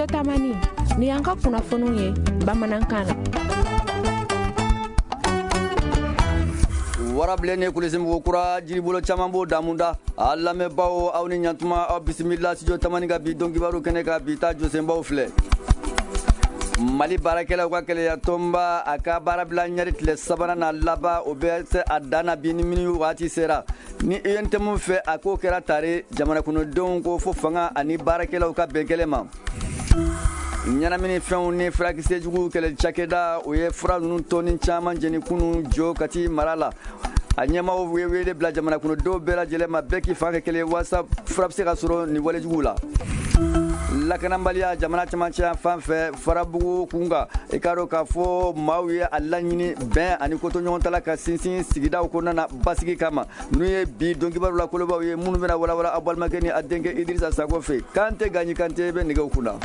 Studio Tamani, ni y'an ka kunnafoniw ye bamanankan na. Warabilen ni kulisimugu kura jiribolo caman b'o damuda. A lamɛnbaaw, aw ni ɲantuma, aw bisimila Studio Tamani ka bi don kibaru kɛnɛ kan. Bi ta jɔsenbaw filɛ: Mali baarakɛlaw ka keleya tɔnba, a ka baarabila ɲɛri tile sabanan na laban, o bɛ se a dan na bi ni minuit waati sera. Ni UNTM fɛ, a k'o kɛra tare. Jamana kɔnɔdenw ko fo fanga ani baarakɛlaw ka bɛn kelen ma. Ɲɛnamini fɛnw ni furakisɛ jugu kɛlɛ cakɛda, o ye fura ninnu tɔni caman jeni kunun jo Kati mara la. A ɲɛmaaw ye wele bila jamana kɔnɔdenw bɛɛ lajɛlen ma, bɛɛ k'i fan kɛ kelen walasa fura bɛ se ka sɔrɔ nin walejuguw la. Lakanabaliya jamana camancɛ fan fɛ, Farabugu kunkan, i k'a dɔn k'a fɔ maaw ye a laɲini bɛn ani kotoɲɔgɔntala ka sinsin sigidaw kɔnɔna na basigi kama. N'u ye bi donkibaru la kolobaw ye minnu bɛna walawala aw balimakɛ ni a denkɛ Idirisa Sako fɛ. Kante Gaɲi Kante bɛ nɛgɛw kunna.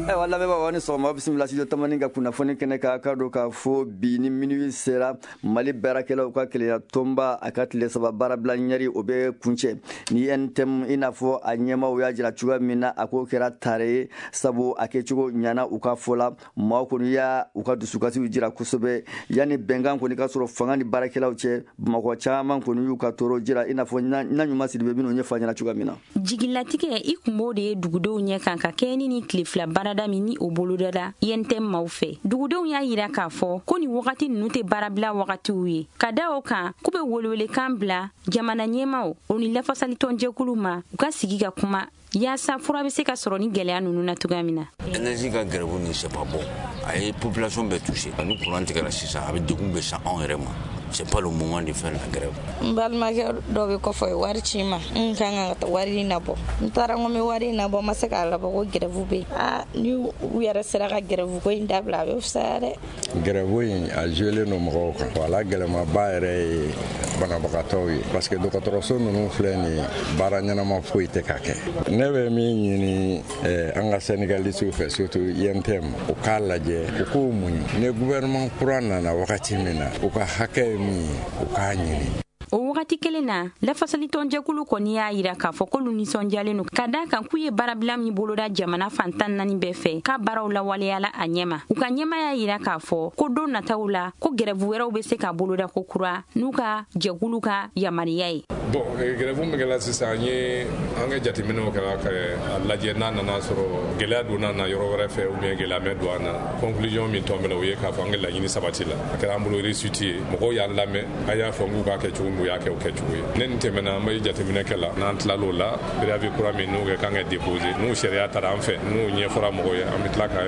Ayiwa lamɛnbaaw, aw ni sɔgɔma, bisimila Studio Tamani ka kunnafoni kɛnɛ kan. K'a dɔn k'a fɔ bi ni minuit sera, Mali baarakɛlaw ka keleya tɔnba, a ka tile 3 baarabila ɲɛri, o bɛ kuncɛ ni UNTM. I n'a fɔ a ɲɛmaaw y'a jira cogoya min na, a k'o kɛra tare ye, sabu a kɛcogo ɲana u ka fɔ la. Maaw kɔni y'a u ka dusukasiw jira kosɛbɛ yanni bɛnkan kɔni ka sɔrɔ fanga ni baarakɛlaw cɛ. Bamakɔ caman kɔni y'u ka tɔɔrɔ jira, i n'a fɔ na ɲuman Sidibe bɛn'o ɲɛfɔ an ɲɛna cogoya min na. Jigilatigɛ i kun b'o de ye dugudenw ɲɛ kan ka kɛɲɛ ni tile 2 baarada min ni o bolodala UNTM maaw fɛ. Dugudenw y'a yira k'a fɔ ko nin wagati ninnu tɛ baarabila wagatiw ye, ka da o kan k'u bɛ welewelekan bila jamana ɲɛmaaw o ni lafasalitɔnjɛkulu ma, u ka sigi ka kuma yaasa fura bɛ se ka sɔrɔ ni gɛlɛya ninnu na cogoya min na. Énergie ka grève nin, c'est pas bon. A ye population bɛɛ touché. Ni courant tigɛra sisan, a bɛ degun bɛ sa anw yɛrɛ ma. C'est pas le moment de faire la grève. N balimakɛ dɔ bɛ kɔfɛ, o ye wari ci n ma, n kan ka wari in nabɔ. N taara n ko n bɛ wari in nabɔ, n ma se k'a labɔ ko grève bɛ yen. Aa, ni u yɛrɛ sera ka grève ko in dabila, a bɛ fisaya dɛ. Grève in a joué don mɔgɔw kan. Wala gɛlɛmaba yɛrɛ ye banabagatɔw ye, parce que dɔgɔtɔrɔso ninnu filɛ nin ye, baara ɲɛnama foyi tɛ ka kɛ. Ne bɛ min ɲini an ka syndicalistes fɛ, surtout UNTM, u k'a lajɛ, u k'u muɲu. Ni gouvernement kura nana wagati min na, u ka hakɛ ye min ye, u k'a ɲini. O wagati kelen na, lafasalitɔnjɛkulu kɔni y'a yira k'a fɔ k'olu nisɔndiyalen don ka da kan k'u ye baarabila min boloda jamana fan 14 bɛɛ fɛ, k'a baaraw lawaleyala a ɲɛma. U ka ɲɛma y'a yira k'a fɔ ko don nataw la, ko grève wɛrɛw bɛ se ka boloda ko kura n'u ka jɛkulu ka yamaruya ye. Bon, grève min kɛra sisan, an ye an ka jateminɛw kɛra ka a lajɛ n'a nana sɔrɔ gɛlɛya donna na yɔrɔ wɛrɛ fɛ ou bien gɛlɛya mɛ don an na. Conclusion min tɔn bɛna, o ye k'a fɔ an ka laɲini sabati la, a kɛra an bolo réussite ye. Mɔgɔw y'an lamɛn, an y'a fɔ k'u k'a kɛ cogo min, u y'a kɛ o kɛcogo ye. Ne nin tɛmɛna, an bɛ jateminɛ kɛ la. N'an tilal'o la, préavis kura min n'o kɛ kan ka déposer, n'o sariya taara an fɛ, n'o ɲɛfɔra mɔgɔw ye, an bɛ tila ka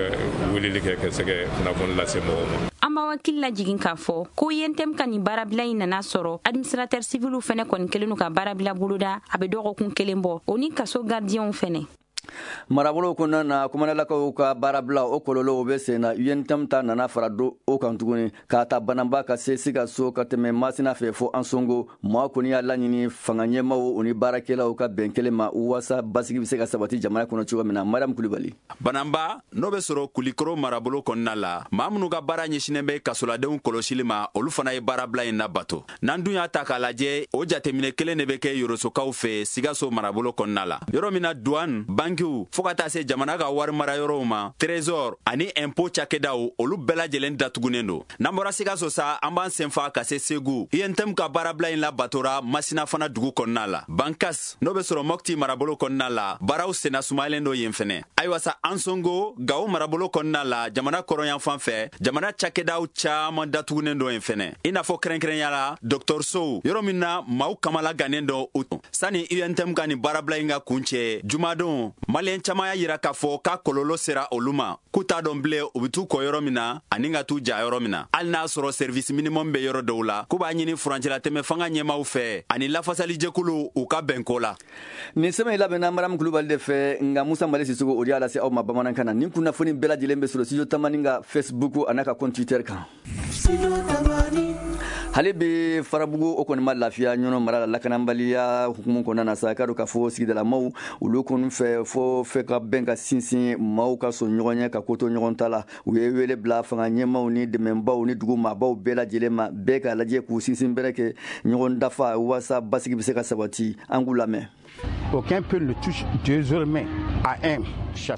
weleli kɛ ka se ka kunnafoni lase mɔgɔw ma. An b'aw hakili lajigin k'a fɔ ko UNTM ka nin baarabila in nana sɔrɔ administrateur civil fɛnɛ kɔni kɛlen don ka baarabila boloda, a bɛ dɔgɔkun kelen bɔ, o ni kaso gardienw fɛnɛ. Marabolo kɔnɔna na, kumanalakaw ka baarabila, o kɔlɔlɔw bɛ sen na. UNTM ta nana fara do o kan tuguni, k'a ta Banamba ka se Sikaso, ka tɛmɛ Masina fɛ fo Ansongo. Maa kɔni y'a laɲini fanga ɲɛmaaw o ni baarakɛlaw ka bɛn kelen ma walasa basigi bɛ se ka sabati jamana kɔnɔ cogo min na. Mariam Kulibali. Banamba, n'o bɛ sɔrɔ Kulikoro marabolo kɔnɔna la, maa minnu ka baara ɲɛsinnen bɛ kasoladenw kɔlɔsili ma, olu fana ye baarabila in labato. N'an dun y'a ta k'a lajɛ, o jateminɛ kelen de bɛ kɛ Yorosokaw fɛ Sikaso marabolo kɔnɔna la, yɔrɔ min na douane, bankiw, fɔɔ ka taa se jamana ka wari mara yɔrɔw ma, trésor ani impôt cakɛdaw, olu bɛɛ lajɛlen datugunen don. N'an bɔra Sikaso sa, an b'an senfa ka se Segu. UNTM ka baarabila in labatora Masina fana dugu kɔnɔna la. Bankas, n'o bɛ sɔrɔ Mɔpti marabolo kɔnɔna la, baaraw senna sumayalen don yen fɛnɛ. Ayiwa sa, Ansongo, Gawo marabolo kɔnɔna la, jamana kɔrɔnyanfan fɛ, jamana cakɛdaw caman datugunen don yen fɛnɛ, i n'a fɔ kɛrɛnkɛrɛnya la dɔgɔtɔrɔsow, yɔrɔ min na maaw kamala gannen don u. Sani UNTM ka nin baarabila in ka kun cɛ jumadon, maliyɛn caman y'a yira k'a fɔ k'a kɔlɔlɔ sera olu ma, k'u t'a dɔn bilen u bɛ t'u kɔ yɔrɔ min na ani ka t'u ja yɔrɔ min na, hali n'a sɔrɔ service minimum bɛ yɔrɔ dɔw la. K'u b'a ɲini furancɛlatɛmɛ fanga ɲɛmaaw fɛ ani lafasalijɛkulu, u ka bɛnko la. Nin sɛbɛn in labɛnna Mariam Kulubali de fɛ, nka Musa Mali Sisoko o de y'a lase aw ma bamanankan na. Nin kunnafoni bɛɛ lajɛlen bɛ sɔrɔ Studio Tamani ka Facebook a n'a ka compte Twitter kan. Hali bi Farabugu, o kɔni ma lafiya Ɲɔnɔ mara la, lakanabaliya hukumu kɔnɔna na sa. K'a dɔn k'a fɔ sigidalamaw, olu kɔni fɛ fo fɛ ka bɛn ka sinsin, maaw ka sɔn ɲɔgɔn ye ka ko to ɲɔgɔn ta la. U ye wele bila fanga ɲɛmaw ni dɛmɛbaw ni dugu maabaw bɛɛ lajɛlen ma, bɛɛ k'a lajɛ k'u sinsin bɛrɛ kɛ ɲɔgɔn dafa walasa basigi bɛ se ka sabati. An k'u lamɛn. Aucun peuple ne touche désormais à un.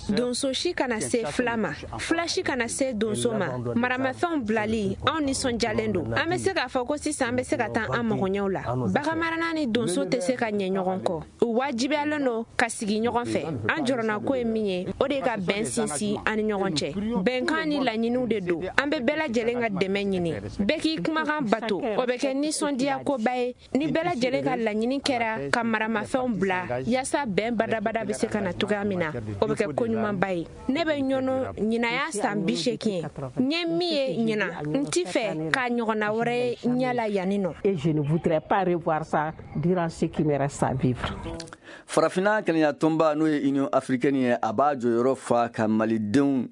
Donso si kana se fila ma, fila si kana se donso ma. Maramafɛnw bilali, anw nisɔndiyalen don. An bɛ se k'a fɔ ko sisan an bɛ se ka taa an magoɲɛw la. Baganmarana ni donso tɛ se ka ɲɛ ɲɔgɔn kɔ, u wajibiyalen don ka sigi ɲɔgɔn fɛ. An jɔrɔnako ye min ye, o de ye ka bɛn sinsin an ni ɲɔgɔn cɛ. Bɛnkan ni laɲiniw de don. An bɛ bɛɛ lajɛlen ka dɛmɛ ɲini, bɛɛ k'i kumakan bato. O bɛ kɛ nisɔndiyakoba ye ni bɛɛ lajɛlen ka laɲini kɛra ka maramafɛnw bila, yaasa bɛn badabada bɛ se ka na cogoya min na. O bɛ kɛ koɲumanba ye. Ne bɛ ɲɔnɔ ɲinan y'a san 80 ye. N ye min ye ɲinan, n ti fɛ k'a ɲɔgɔnna wɛrɛ ye ɲɛ la yanni nɔ. Et je ne voudrais pas revoir ça durant ce qui me reste à vivre. Farafinna kelenya tɔnba, n'o ye Union africaine ye, a b'a jɔyɔrɔ fa ka malidenw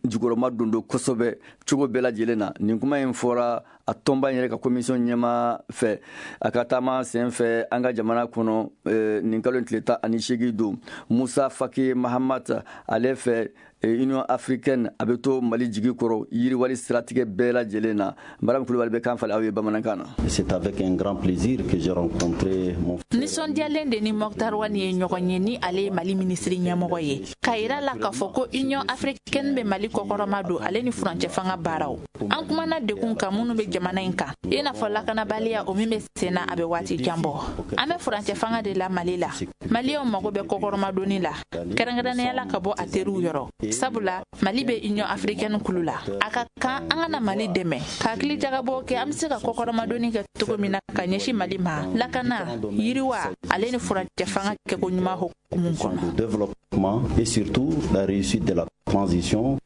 jukɔrɔma don don kosɛbɛ cogo bɛɛ lajɛlen na. Nin kuma in fɔra a tɔnba in yɛrɛ ka commission ɲɛma fɛ, a ka taama sen fɛ an ka jamana kɔnɔ nin kalo in tile 18 don. Musa Faki Mahamat, ale fɛ, Union africaine a bɛ to Mali jigi kɔrɔ yiriwali siratigɛ bɛɛ lajɛlen na. Mariam Kulubali bɛ kan falen aw ye bamanankan na. C'est avec un grand plaisir que j'ai rencontré mon Nisɔndiyalen de ni Moctar Ouane ye ɲɔgɔn ye, ni ale ye Mali minisiri ɲɛmɔgɔ ye, k'a yira la k'a fɔ ko Union africaine bɛ Mali kɔkɔrɔma don, ale ni furancɛ fanga baaraw. An kumana dekun kan minnu bɛ jamana in kan, i n'a fɔ lakanabaliya, o min bɛ sen na a bɛ waati jan bɔ. An bɛ furancɛ fanga de la Mali la. Maliyɛnw mago bɛ kɔkɔrɔmadonni la, kɛrɛnkɛrɛnnenya la ka bɔ a teriw yɔrɔ, sabula Mali bɛ Union africaine kulu la. A ka kan an ka na Mali dɛmɛ ka hakili jagabɔ kɛ an bɛ se ka kɔkɔrɔmadonni kɛ cogo min na ka ɲɛsin Mali ma, lakana, yiriwa, ale ni furancɛ fanga kɛko ɲuman hukumu kɔnɔ. Développement et surtout la réussite de la transition.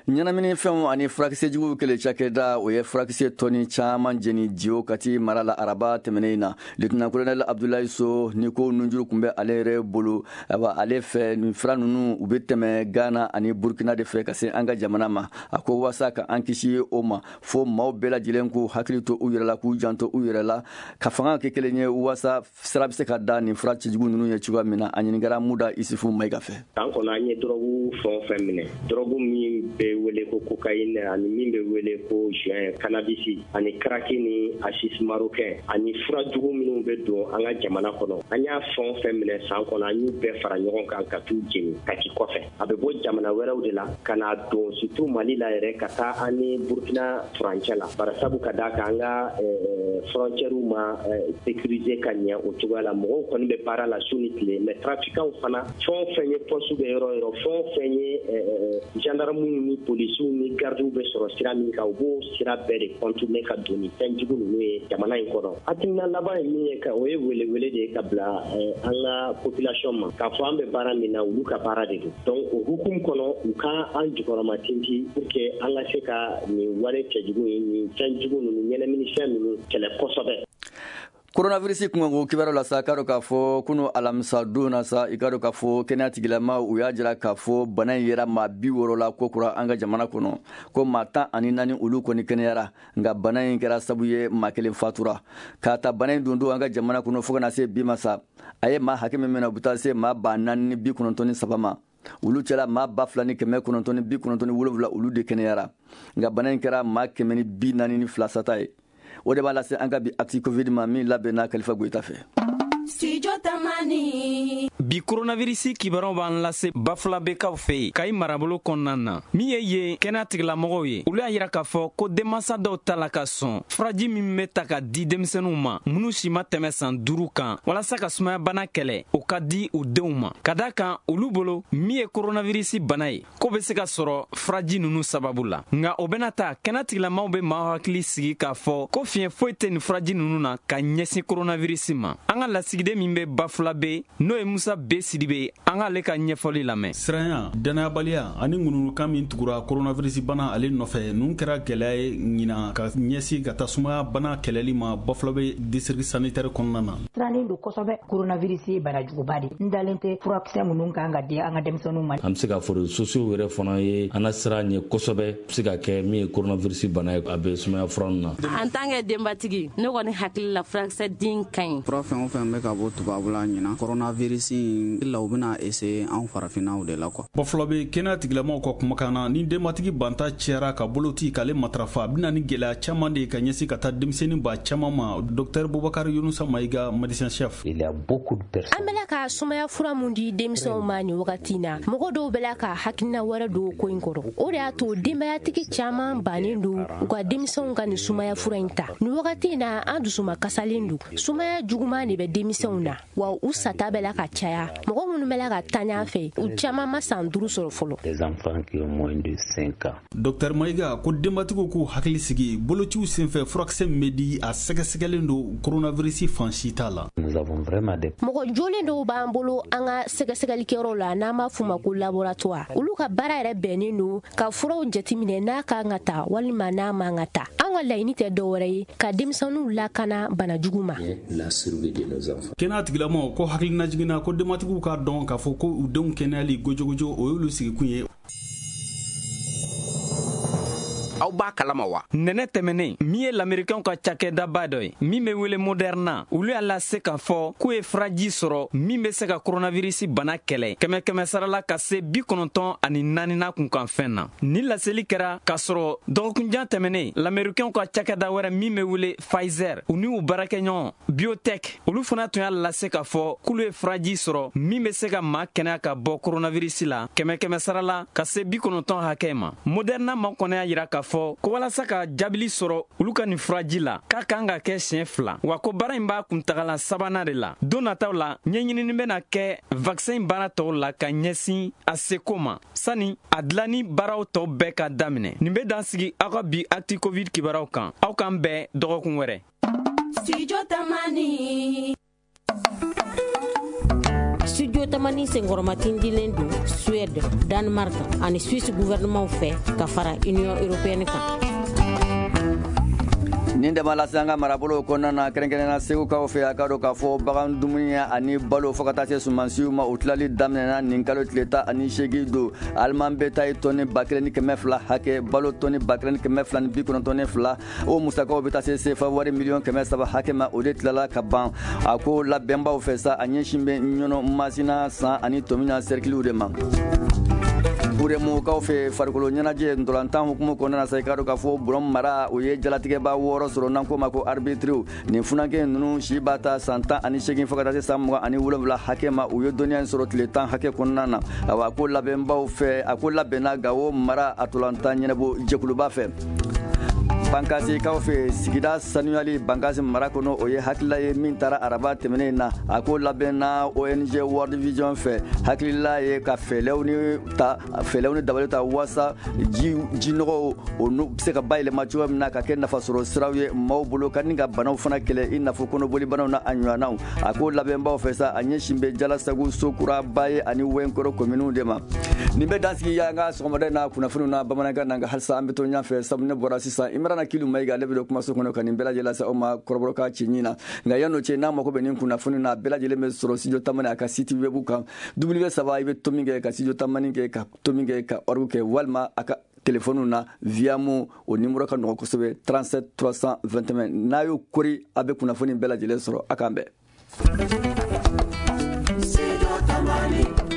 Ɲɛnaminifɛnw ani furakisɛjuguw kɛlɛ cakɛda, o ye furakisɛ tɔni caman jeni Jiwo, Kati mara la, araba tɛmɛnen na. Lieutenant colonel Abdoulaye So ni ko nunjuru tun bɛ ale yɛrɛ bolo. Ayiwa, ale fɛ, nin fura ninnu, u bɛ tɛmɛ Ghana ani Burkina de fɛ ka se an ka jamana ma. A ko waasa ka an kisi o ma, fo maaw bɛɛ lajɛlen k'u hakili to u yɛrɛ la, k'u janto u yɛrɛ la, ka fanga kɛ kelen ye, waasa sira bɛ se ka da nin fura cɛjugu ninnu ye cogoya min na. A ɲininkara Muda Isufu Mayiga fɛ. San kɔnɔ, an ye dɔrɔgu fɛn o fɛn minɛ, dɔrɔgu min bɛ wele ko cocaïne ani min bɛ wele ko joint, cannabis ani crack ni haschich marocain ani fura jugu minnu bɛ don an ka jamana kɔnɔ, an y'a fɛn o fɛn minɛ san kɔnɔ, an y'u bɛɛ fara ɲɔgɔn kan ka t'u jeni Kati kɔfɛ. A bɛ bɔ jamana wɛrɛw de la ka na don, surtout Mali la yɛrɛ, ka taa an ni Burkina furancɛ la, barisabu ka d'a kan an ka frontières ma sécuriser ka ɲɛ o cogoya la. Mɔgɔw kɔni bɛ baara la su ni tile, mais trafiquants fana, fɛn o fɛn ye poste bɛ yɔrɔ o yɔrɔ, fɛn o fɛn ye gendarmes ni polisiw ni gardiw bɛ sɔrɔ sira min kan, u b'o sira bɛɛ de contourner ka don ni fɛn jugu ninnu ye jamana in kɔnɔ. Hakilina laban ye min ye, ka o ye welewele de ye ka bila an ka population ma, k'a fɔ an bɛ baara min na, olu ka baara de don. Donc o hukumu kɔnɔ, u ka an jukɔrɔma tinti pour que an ka se ka nin wale cɛjugu in, nin fɛn jugu ninnu, ɲɛnaminifɛn ninnu kɛlɛ kosɛbɛ. Coronavirus kunkanko kibaruyaw la sa, k'a dɔn k'a fɔ kunu alamisa don na sa, i k'a dɔn k'a fɔ kɛnɛya tigilama u y'a jira k'a fɔ bana in yera maa 60 la ko kura an ka jamana kɔnɔ, ko maa 14, olu kɔni kɛnɛyara, nka bana in kɛra sabu ye maa kelen fatura. K'a ta bana in don don an ka jamana kɔnɔ fo ka na se bi ma sa, a ye maa hakɛ min minɛ, u bɛ taa se maa 4093 ma. Olu cɛla, maa 2997, olu de kɛnɛyara, nka bana in kɛra maa 142 sata ye. O de b'a lase an ka bi Actu Covid ma, min labɛnna Kalifa Goyita fɛ. Studio Tamani. Bi koronavirisi kibaruyaw b'an lase Bafulabekaw fɛ yen, Kayi marabolo kɔnɔna na. Min ye yen kɛnɛya tigilamɔgɔw ye, olu y'a yira k'a fɔ ko denmansa dɔw ta la ka sɔn furaji min bɛ ta ka di denmisɛnninw ma minnu si ma tɛmɛ san 5 kan walasa ka sumayabana kɛlɛ, o ka di u denw ma, ka da kan olu bolo min ye koronavirisi bana ye, ko bɛ se ka sɔrɔ furaji ninnu sababu la. Nka o bɛna ta, kɛnɛya tigilamɔgɔw bɛ maaw hakili sigi k'a fɔ ko fiɲɛ foyi tɛ nin furaji ninnu na ka ɲɛsin koronavirisi ma. An ka lasigiden min bɛ Bafulabe, n'o ye Musa B Sidibe, an k'ale ka ɲɛfɔli lamɛn. Siranya, dannayabaliya ani ŋununukan min tugura koronavirisi bana ale nɔfɛ, ninnu kɛra gɛlɛya ye ɲinan ka ɲɛsin ka taa sumaya bana kɛlɛli ma Bafulabe district sanitaire kɔnɔna na. Sirannen don kosɛbɛ. Koronavirisi ye bana juguba de. N dalen tɛ furakisɛ minnu kan ka di an ka denmisɛnninw ma. An bɛ se k'a fɔ réseaux sociaux yɛrɛ fana ye an na sira ɲɛ kosɛbɛ, bɛ se ka kɛ min ye koronavirisi bana ye, a bɛ sumaya fura ninnu na. En tant que denbatigi, ne kɔni hakili la, furakisɛ din ka ɲi. Fura fɛn o fɛn bɛ ka bɔ tubabula ɲinan, coronavirus in la, u bɛna essayer anw farafinnaw de la quoi. Bafulabe kɛnɛya tigilamɔgɔw ka kumakan na, ni denbatigi banta cɛra ka bolo ci k'ale matarafa, a bɛna ni gɛlɛya caman de ye ka ɲɛsin ka taa denmisɛnnin ba caman ma. Docteur Bubakar Yunusa Mayiga, médecin chef. Il y a beaucoup de personnes. An bɛla ka sumaya fura mun di denmisɛnw ma nin wagati na, mɔgɔ dɔw bɛ la ka hakilina wɛrɛ don ko in kɔrɔ. O de y'a to denbayatigi caman bannen don u ka denmisɛnw ka nin sumaya fura in ta. Nin wagati in na, an dusuma kasalen don. Sumaya juguman de bɛ denmisɛnw na, wa u sata bɛ la ka caya. Mɔgɔ minnu bɛ la ka taa ɲɛ fɛ, u caman ma san 5 sɔrɔ fɔlɔ. Dr Mayiga ko denbatigiw k'u hakili sigi, bolociw senfɛ furakisɛ min bɛ di, a sɛgɛsɛgɛlen don, coronavirus fan si t'a la. Mɔgɔ jolen dɔw b'an bolo an ka sɛgɛsɛgɛlikɛyɔrɔ la, n'an b'a f'u ma ko laboratoire. Olu ka baara yɛrɛ bɛnnen don ka furaw jateminɛ n'a kan ka ta walima n'a man ka ta. An ka laɲini tɛ dɔwɛrɛ ye ka denmisɛnninw lakana bana jugu ma. Kɛnɛya tigilamɔgɔw ko hakilina jiginna ko denbatigiw k'a dɔn k'a fɔ ko u denw kɛnɛyali gojogojo, o y'olu sigikun ye. Aw b'a kalama wa? Nɛnɛ tɛmɛnen, min ye lamerikanw ka cakɛdaba dɔ ye min bɛ wele Moderna, olu y'a lase k'a fɔ k'u ye furaji sɔrɔ min bɛ se ka koronavirisi bana kɛlɛ 100 sarala ka se 94 na kunkanfɛn na. Ni laseli kɛra k'a sɔrɔ dɔgɔkunjan tɛmɛnen, lamerikanw ka cakɛda wɛrɛ min bɛ wele Pfizer, u ni u baarakɛɲɔgɔn BioNTech, olu fana tun y'a lase k'a fɔ k'olu ye furaji sɔrɔ min bɛ se ka maa kɛnɛya ka bɔ koronavirisi la 100 sarala ka se 90 hakɛ ma. Moderna ma kɔnɔ y'a yira k'a fɔ ko walasa ka jaabili sɔrɔ olu ka nin furaji la, k'a kan ka kɛ siɲɛ 2, wa ko baara in b'a kuntagala sabanan de la. Don nataw la, ɲɛɲinini bɛna kɛ vaccin in baara tɔw la ka ɲɛsin a seko ma sani a dilanni baaraw tɔw bɛɛ ka daminɛ. Nin bɛ dan sigi aw ka bi Actu Covid kibaruyaw kan. Aw k'an bɛn dɔgɔkun wɛrɛ. Studio Tamani. Studio Tamani senkɔrɔmatindilen don Suède, Danemark ani Suisse gouvernement fɛ ka fara Union européenne kan. Nin dama lase an ka marabolow kɔnɔna na, kɛrɛnkɛrɛnnenya Segukaw fɛ, a ka dɔn k'a fɔ bagan dumuni ani balo fo ka taa se sumansiw ma, o tilali daminɛna nin kalo tile 18 don. Aliman bɛ taa ye tɔni 1200 hakɛ, balo tɔni 1292, o musakaw bɛ taa se sefa wari miliyɔn 300 hakɛ ma, o de tilala ka ban. A ko labɛnbaw fɛ sa, a ɲɛsin bɛ Ɲɔnɔ, Masina, San ani Tomina sɛrikiliw de ma. Buremukaw fɛ, farikolo ɲɛnajɛ ntolantan hukumu kɔnɔna na sa, i ka dɔn k'a fɔ Bɔrɔn mara, o ye jalatigɛba 6 sɔrɔ n'an k'o ma ko arbitre. Nin funankɛ ninnu si b'a ta san 18 fo ka taa se san 27 hakɛ ma. U ye dɔnniya in sɔrɔ tile 10 hakɛ kɔnɔna na. Awa, a ko labɛnbaw fɛ, a ko labɛnna Gawo mara a ntolantan ɲɛnabɔ jɛkuluba fɛ. Bankasikaw fɛ, sigida sanuyali Bankasi mara kɔnɔ, o ye hakilila ye min taara araba tɛmɛnen na. A ko labɛnna ONG World Vision fɛ. Hakilila ye ka fɛɛrɛw ni dabali ta walasa jinɔgɔw o bɛ se ka bayɛlɛma cogoya min na ka kɛ nafasɔrɔ siraw ye maaw bolo, ka ni ka banaw fana kɛlɛ, i n'a fɔ kɔnɔboli banaw na a ɲɔgɔnnaw. A ko labɛnbaw fɛ sa, a ɲɛsin bɛ Jalasagu, Sokura, Baye ani Wɛnkɔrɔ kominiw de ma. Nin bɛ dansigi an ka sɔgɔmada in na kunnafoniw na bamanankan na, nka halisa an bɛ to ɲɛfɛ sabu ne bɔra sisan Imrana Kilu Mayiga, ale bɛ don kumaso kɔnɔ ka nin bɛɛ lajɛlen lase aw ma kɔrɔbɔrɔkan cɛɲi na. Nka yan'o cɛ, n'a mako bɛ nin kunnafoni na, a bɛɛ lajɛlen bɛ sɔrɔ Studio Tamani a ka site web kan, W3 i bɛ to min kɛ ka Studio Tamani kɛ ka to min kɛ ka org kɛ, walima a ka telefɔniw na Viamo, o numéro ka nɔgɔn kosɛbɛ, 37 321. N'a y'o kori, a bɛ kunnafoni bɛɛ lajɛlen sɔrɔ. A k'an bɛn. Studio Tamani.